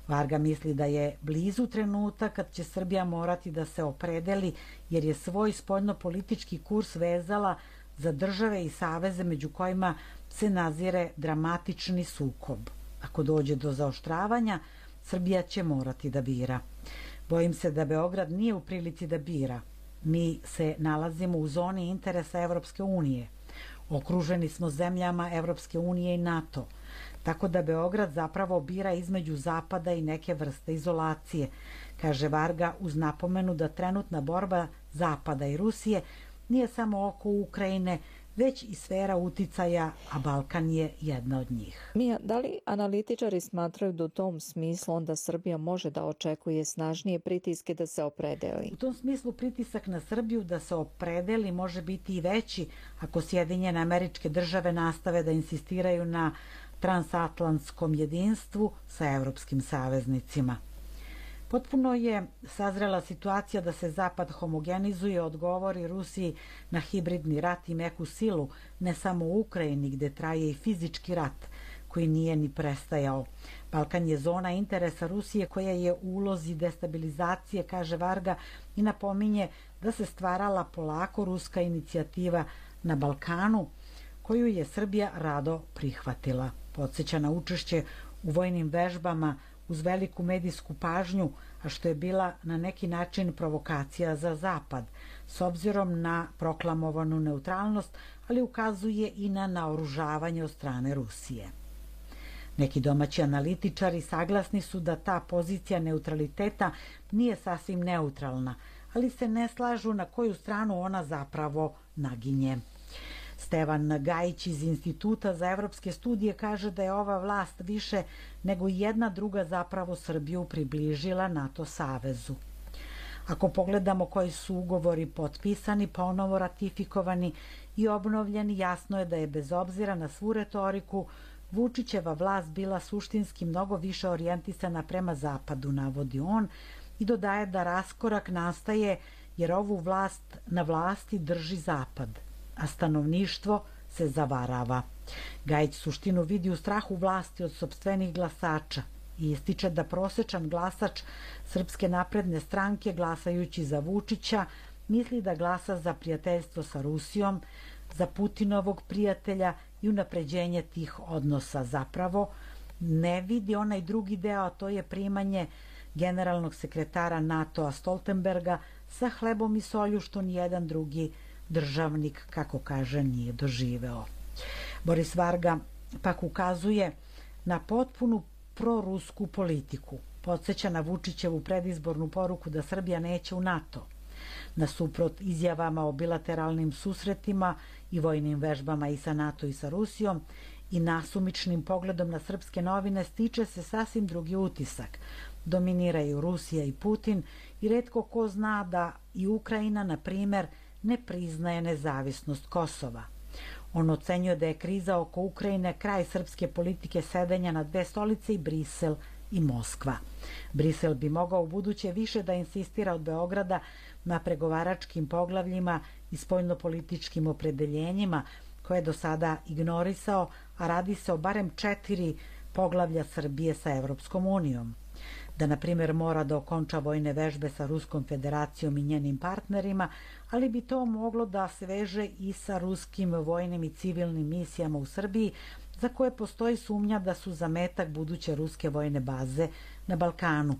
Varga misli da je blizu trenutak kad će Srbija morati da se opredeli jer je svoj spoljnopolitički kurs vezala za države i saveze među kojima se nazire dramatični sukob. Ako dođe do zaoštravanja, Srbija će morati da bira. Bojim se da Beograd nije u prilici da bira. Mi se nalazimo u zoni interesa Evropske unije. Okruženi smo zemljama Evropske unije i NATO. Tako da Beograd zapravo bira između Zapada i neke vrste izolacije, kaže Varga uz napomenu da trenutna borba Zapada i Rusije nije samo oko Ukrajine, već i sfera uticaja, a Balkan je jedna od njih. Mija, da li analitičari smatraju da u tom smislu onda Srbija može da očekuje snažnije pritiske da se opredeli? U tom smislu pritisak na Srbiju da se opredeli može biti i veći ako Sjedinjene Američke Države nastave da insistiraju na transatlantskom jedinstvu sa evropskim saveznicima. Potpuno je sazrela situacija da se Zapad homogenizuje, odgovori Rusiji na hibridni rat i meku silu, ne samo u Ukrajini gde traje i fizički rat koji nije ni prestajao. Balkan je zona interesa Rusije koja je u ulozi destabilizacije, kaže Varga, i napominje da se stvarala polako ruska inicijativa na Balkanu koju je Srbija rado prihvatila. Podsjeća na učešće u vojnim vežbama uz veliku medijsku pažnju, a što je bila na neki način provokacija za Zapad, s obzirom na proklamovanu neutralnost, ali ukazuje i na naoružavanje od strane Rusije. Neki domaći analitičari saglasni su da ta pozicija neutraliteta nije sasvim neutralna, ali se ne slažu na koju stranu ona zapravo naginje. Stevan Gajić iz Instituta za evropske studije kaže da je ova vlast više nego jedna druga zapravo Srbiju približila NATO savezu. Ako pogledamo koji su ugovori potpisani, ponovo ratifikovani i obnovljeni, jasno je da je bez obzira na svu retoriku Vučićeva vlast bila suštinski mnogo više orijentisana prema zapadu, navodi on, i dodaje da raskorak nastaje jer ovu vlast na vlasti drži zapad, a stanovništvo se zavarava. Gajić suštinu vidi u strahu vlasti od sopstvenih glasača i ističe da prosečan glasač Srpske napredne stranke glasajući za Vučića misli da glasa za prijateljstvo sa Rusijom, za Putinovog prijatelja i unapređenje tih odnosa. Zapravo ne vidi onaj drugi deo, a to je primanje generalnog sekretara NATO-a Stoltenberga sa hlebom i solju što nijedan drugi državnik, kako kaže, nije doživeo. Boris Varga pak ukazuje na potpunu prorusku politiku. Podsjeća na Vučićevu predizbornu poruku da Srbija neće u NATO. Nasuprot izjavama o bilateralnim susretima i vojnim vežbama i sa NATO i sa Rusijom i nasumičnim pogledom na srpske novine stiče se sasvim drugi utisak. Dominiraju Rusija i Putin i retko ko zna da i Ukrajina, na primer, ne priznaje nezavisnost Kosova. On ocenjuje da je kriza oko Ukrajine kraj srpske politike sedenja na dve stolice i Brisel i Moskva. Brisel bi mogao u buduće više da insistira od Beograda na pregovaračkim poglavljima i spoljnopolitičkim opredeljenjima koje je do sada ignorisao, a radi se o barem 4 poglavlja Srbije sa Evropskom unijom. Da, na primjer, mora da okonča vojne vežbe sa Ruskom federacijom i njenim partnerima, ali bi to moglo da se veže i sa ruskim vojnim i civilnim misijama u Srbiji, za koje postoji sumnja da su zametak buduće ruske vojne baze na Balkanu.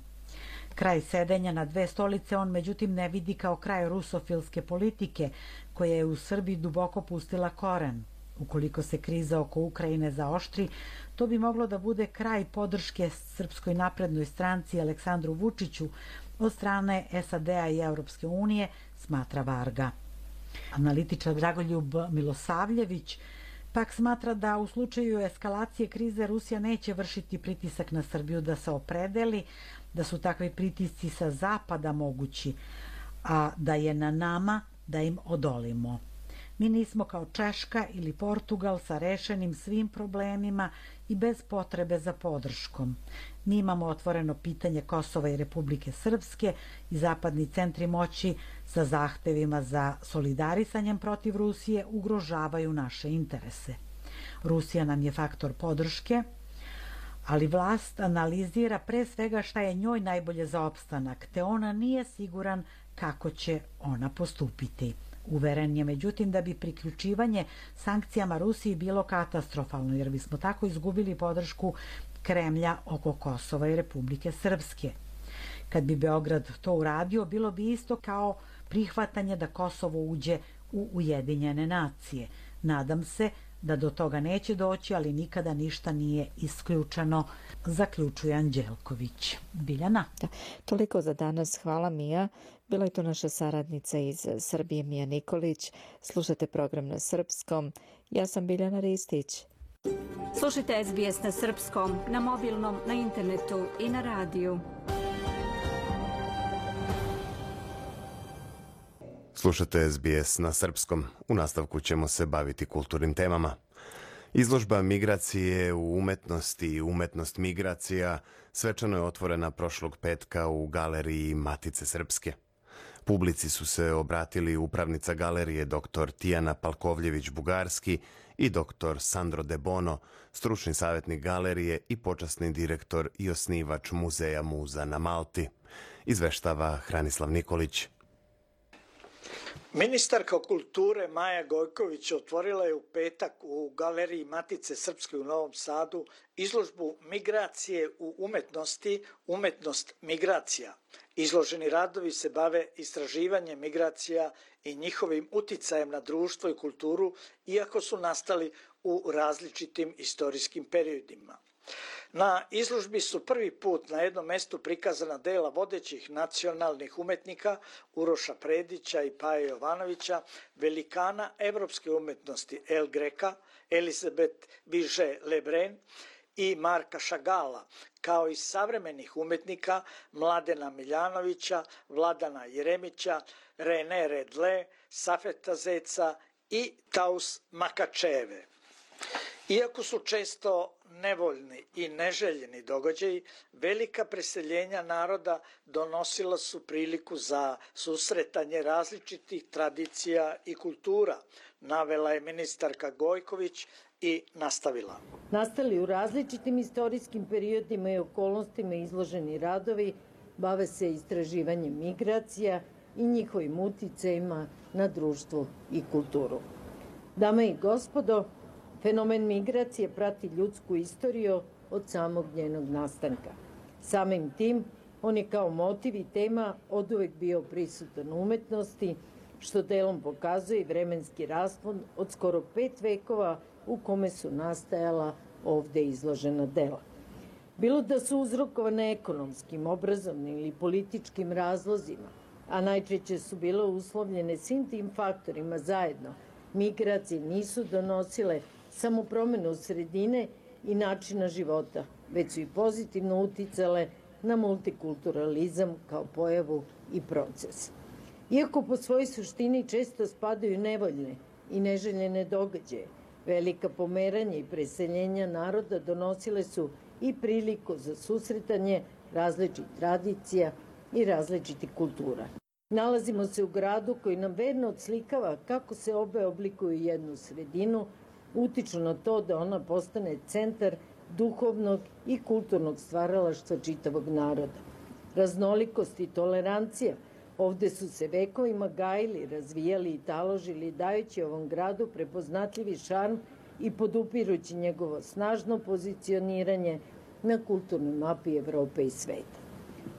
Kraj sedenja na dve stolice on međutim ne vidi kao kraj rusofilske politike, koja je u Srbiji duboko pustila koren. Ukoliko se kriza oko Ukrajine zaoštri, to bi moglo da bude kraj podrške Srpskoj naprednoj stranci Aleksandru Vučiću od strane SAD-a i Evropske unije, smatra Varga. Analitičar Dragoljub Milosavljević pak smatra da u slučaju eskalacije krize Rusija neće vršiti pritisak na Srbiju da se opredeli, da su takvi pritisci sa zapada mogući, a da je na nama da im odolimo. Mi nismo kao Češka ili Portugal sa rešenim svim problemima i bez potrebe za podrškom. Mi imamo otvoreno pitanje Kosova i Republike Srpske i zapadni centri moći sa zahtevima za solidarisanjem protiv Rusije ugrožavaju naše interese. Rusija nam je faktor podrške, ali vlast analizira pre svega šta je njoj najbolje za opstanak, te ona nije siguran kako će ona postupiti. Uveren je, međutim, da bi priključivanje sankcijama Rusiji bilo katastrofalno, jer bismo tako izgubili podršku Kremlja oko Kosova i Republike Srpske. Kad bi Beograd to uradio, bilo bi isto kao prihvatanje da Kosovo uđe u Ujedinjene nacije. Nadam se da do toga neće doći, ali nikada ništa nije isključeno, zaključuje Anđelković. Biljana? Toliko za danas. Hvala, Mija. Bila je to naša saradnica iz Srbije, Mija Nikolić. Slušate program na srpskom. Ja sam Biljana Ristić. Slušajte SBS na srpskom, na mobilnom, na internetu i na radiju. Slušate SBS na srpskom. U nastavku ćemo se baviti kulturnim temama. Izložba Migracije u umetnosti i umetnost migracija svečano je otvorena prošlog petka u galeriji Matice Srpske. Publici su se obratili upravnica galerije dr. Tijana Palkovljević-Bugarski i dr. Sandro De Bono, stručni savjetnik galerije i počasni direktor i osnivač Muzeja Muza na Malti. Izveštava Hranislav Nikolić. Ministarka kulture Maja Gojković otvorila je u petak u galeriji Matice Srpske u Novom Sadu izložbu Migracije u umetnosti, umetnost migracija. Izloženi radovi se bave istraživanjem migracija i njihovim uticajem na društvo i kulturu, iako su nastali u različitim istorijskim periodima. Na izložbi su prvi put na jednom mestu prikazana dela vodećih nacionalnih umetnika Uroša Predića i Paje Jovanovića, velikana evropske umetnosti El Greka, Elizabeth Vigée-Lebrun i Marka Šagala, kao i savremenih umetnika Mladena Miljanovića, Vladana Jeremića, René Redle, Safeta Zeca i Taus Makačeve. Iako su često nevoljni i neželjeni događaji, velika preseljenja naroda donosila su priliku za susretanje različitih tradicija i kultura, navela je ministarka Gojković i nastavila. Nastali u različitim istorijskim periodima i okolnostima izloženi radovi bave se istraživanjem migracija i njihovim uticajima na društvo i kulturu. Dame i gospodo, fenomen migracije prati ljudsku istoriju od samog njenog nastanka. Samim tim, on je kao motiv i tema oduvek bio prisutan u umetnosti, što delom pokazuje i vremenski raspon od skoro 5 vekova u kome su nastajala ovde izložena dela. Bilo da su uzrokovane ekonomskim, obrazovnim ili političkim razlozima, a najčešće su bile uslovljene svim tim faktorima zajedno, migracije nisu donosile samo promenu sredine i načina života, već su i pozitivno uticale na multikulturalizam kao pojavu i proces. Iako po svojoj suštini često spadaju nevoljne i neželjene događaje, velika pomeranja i preseljenja naroda donosile su i priliku za susretanje različitih tradicija i različitih kultura. Nalazimo se u gradu koji nam verno odslikava kako se obe oblikuju jednu sredinu, utiču na to da ona postane centar duhovnog i kulturnog stvaralaštva čitavog naroda. Raznolikost i tolerancija ovde su se vekovima gajili, razvijali i taložili, dajući ovom gradu prepoznatljivi šarm i podupirući njegovo snažno pozicioniranje na kulturnoj mapi Evrope i sveta.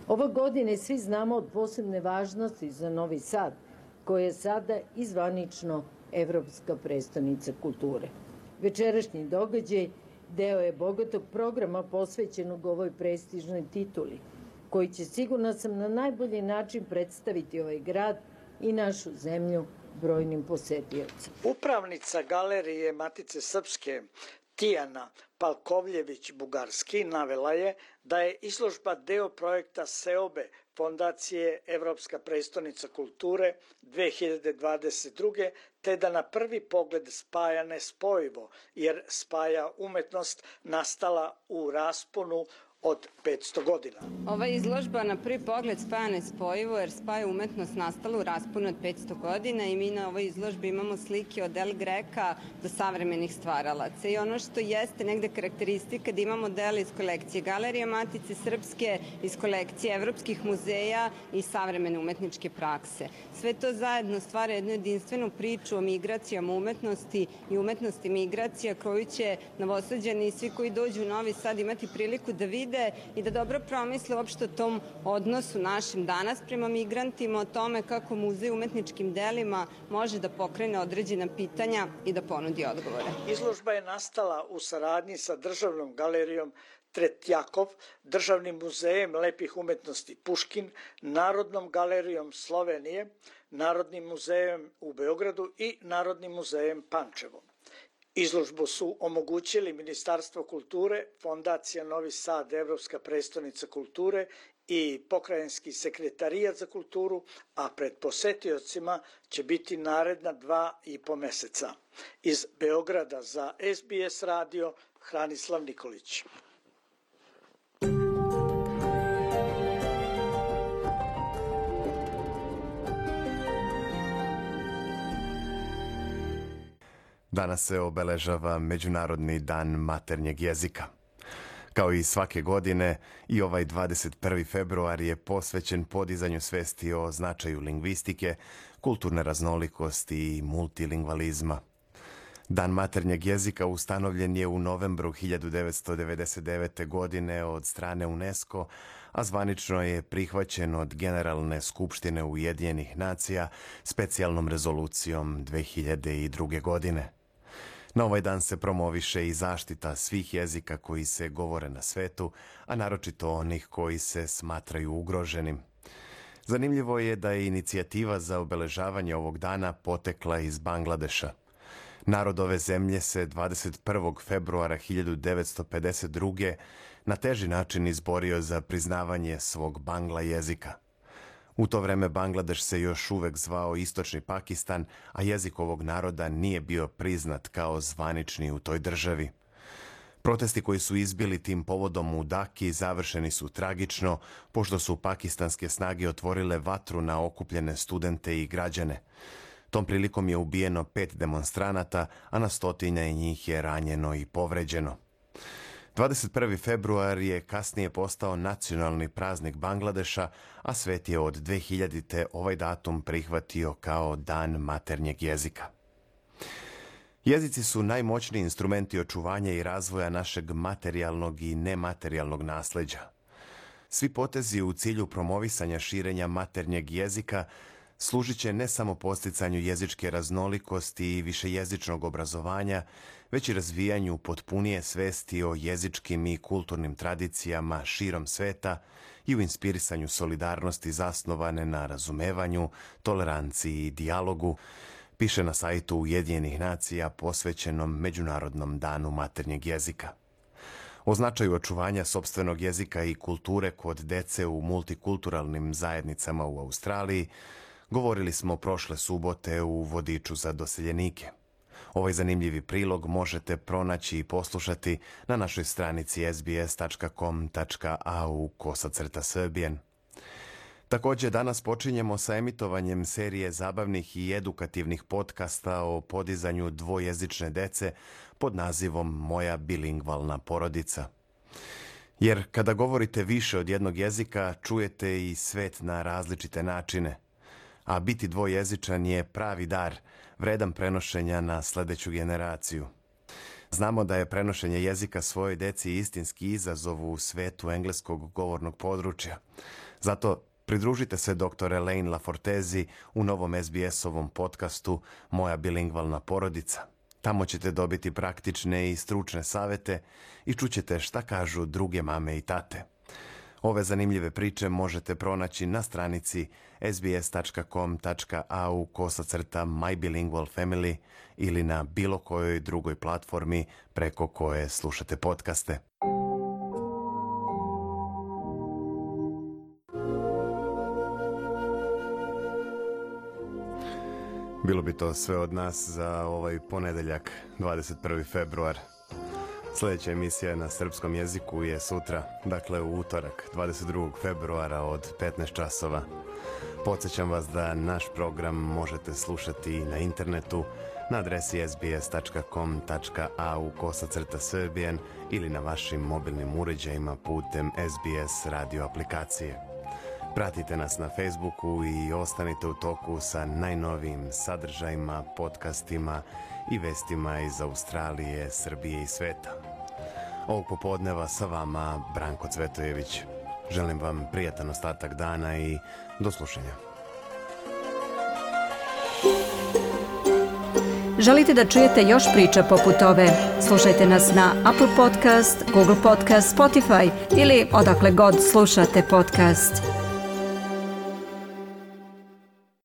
Ova godina svi znamo od posebne važnosti za Novi Sad, koji je sada i zvanično Evropska prestonica kulture. Večerašnji događaj deo je bogatog programa posvećenog ovoj prestižnoj tituli, koji će, sigurna sam, na najbolji način predstaviti ovaj grad i našu zemlju brojnim posetiocima. Upravnica galerije Matice Srpske Tijana Palkovljević-Bugarski navela je da je izložba deo projekta SEOBE Fondacije Evropska prestonica kulture 2022. te da na prvi pogled spaja nespojivo, jer spaja umetnost nastala u rasponu od 500 godina. Ova izložba na prvi pogled spaja nespojivo jer spaja umetnost nastalu u rasponu od 500 godina i mi na ovoj izložbi imamo slike od El Greka do savremenih stvaralaca. I ono što jeste negde karakteristika da imamo dela iz kolekcije Galerije Matice Srpske, iz kolekcije evropskih muzeja i savremene umetničke prakse. Sve to zajedno stvara jednu jedinstvenu priču o migracijama umetnosti i umetnosti migracija koju će Novosađani i svi koji dođu u Novi Sad imati priliku da vide i da dobro promisle uopšte o tom odnosu našim danas prema migrantima, o tome kako muzej umetničkim delima može da pokrene određena pitanja i da ponudi odgovore. Izložba je nastala u saradnji sa Državnom galerijom Tretjakov, Državnim muzejem lepih umetnosti Puškin, Narodnom galerijom Slovenije, Narodnim muzejem u Beogradu i Narodnim muzejem Pančevo. Izložbu su omogućili Ministarstvo kulture, Fondacija Novi Sad, Evropska prestonica kulture i Pokrajinski sekretarijat za kulturu, a pred posetiocima će biti naredna 2,5 meseca. Iz Beograda za SBS radio, Hranislav Nikolić. Danas se obeležava Međunarodni dan maternjeg jezika. Kao i svake godine, i ovaj 21. februar je posvećen podizanju svesti o značaju lingvistike, kulturne raznolikosti i multilingvalizma. Dan maternjeg jezika ustanovljen je u novembru 1999. godine od strane UNESCO, a zvanično je prihvaćen od Generalne skupštine Ujedinjenih nacija specijalnom rezolucijom 2002. godine. Na ovaj dan se promoviše i zaštita svih jezika koji se govore na svetu, a naročito onih koji se smatraju ugroženim. Zanimljivo je da je inicijativa za obeležavanje ovog dana potekla iz Bangladeša. Narod ove zemlje se 21. februara 1952. na teži način izborio za priznavanje svog bangla jezika. U to vreme Bangladeš se još uvek zvao Istočni Pakistan, a jezik ovog naroda nije bio priznat kao zvanični u toj državi. Protesti koji su izbili tim povodom u Daki završeni su tragično, pošto su pakistanske snage otvorile vatru na okupljene studente i građane. Tom prilikom je ubijeno 5 demonstranata, a na stotine njih je ranjeno i povređeno. 21. februar je kasnije postao nacionalni praznik Bangladeša, a svet je od 2000. ovaj datum prihvatio kao Dan maternjeg jezika. Jezici su najmoćniji instrumenti očuvanja i razvoja našeg materijalnog i nematerijalnog nasleđa. Svi potezi u cilju promovisanja širenja maternjeg jezika služit će ne samo podsticanju jezičke raznolikosti i višejezičnog obrazovanja, već i razvijanju potpunije svesti o jezičkim i kulturnim tradicijama širom sveta i u inspirisanju solidarnosti zasnovane na razumevanju, toleranciji i dijalogu, piše na sajtu Ujedinjenih nacija posvećenom Međunarodnom danu maternjeg jezika. O značaju očuvanja sopstvenog jezika i kulture kod dece u multikulturalnim zajednicama u Australiji govorili smo prošle subote u vodiču za doseljenike. Ovaj zanimljivi prilog možete pronaći i poslušati na našoj stranici sbs.com.au/Serbian. Također danas počinjemo sa emitovanjem serije zabavnih i edukativnih podcasta o podizanju dvojezične dece pod nazivom Moja bilingvalna porodica. Jer kada govorite više od jednog jezika, čujete i svet na različite načine. A biti dvojezičan je pravi dar, vredan prenošenja na sledeću generaciju. Znamo da je prenošenje jezika svojoj deci istinski izazov u svetu engleskog govornog područja. Zato pridružite se dr. Elaine Lafortezi u novom SBS-ovom podcastu Moja bilingvalna porodica. Tamo ćete dobiti praktične i stručne savete i čućete šta kažu druge mame i tate. Ove zanimljive priče možete pronaći na stranici sbs.com.au/mybilingualfamily ili na bilo kojoj drugoj platformi preko koje slušate podcaste. Bilo bi to sve od nas za ovaj ponedeljak, 21. februar. Sljedeća emisija na srpskom jeziku je sutra, dakle u utorak, 22. februara od 15 časova. Podsjećam vas da naš program možete slušati na internetu na adresi sbs.com.au/serbian ili na vašim mobilnim uređajima putem SBS radio aplikacije. Pratite nas na Facebooku i ostanite u toku sa najnovijim sadržajima, podcastima i vestima iz Australije, Srbije i sveta. Ovog popodneva sa vama Branko Cvetojević. Želim vam prijatan ostatak dana i do slušanja. Želite da čujete još priča poput ove? Slušajte nas na Apple Podcast, Google Podcast, Spotify ili odakle god slušate podcast.